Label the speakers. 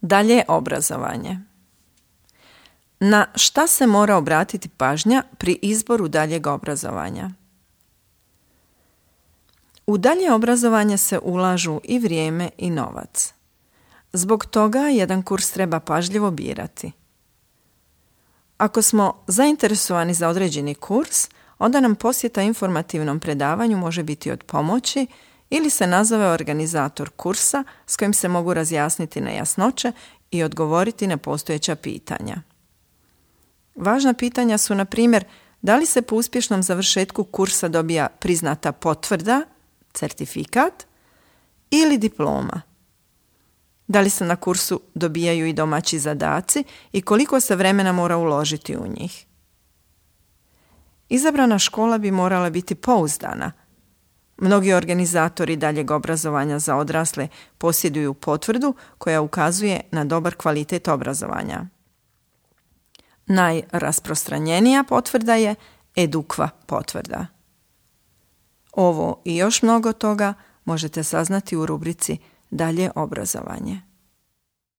Speaker 1: Dalje obrazovanje. Na šta se mora obratiti pažnja pri izboru daljeg obrazovanja? U dalje obrazovanje se ulažu i vrijeme i novac. Zbog toga jedan kurs treba pažljivo birati. Ako smo zainteresovani za određeni kurs, onda nam posjeta informativnom predavanju može biti od pomoći ili se nazove organizator kursa s kojim se mogu razjasniti nejasnoće i odgovoriti na postojeća pitanja. Važna pitanja su, na primjer, da li se po uspješnom završetku kursa dobija priznata potvrda, certifikat ili diploma. Da li se na kursu dobijaju i domaći zadaci i koliko se vremena mora uložiti u njih. Izabrana škola bi morala biti pouzdana. Mnogi organizatori daljeg obrazovanja za odrasle posjeduju potvrdu koja ukazuje na dobar kvalitet obrazovanja. Najrasprostranjenija potvrda je Edukva potvrda. Ovo i još mnogo toga možete saznati u rubrici Dalje obrazovanje.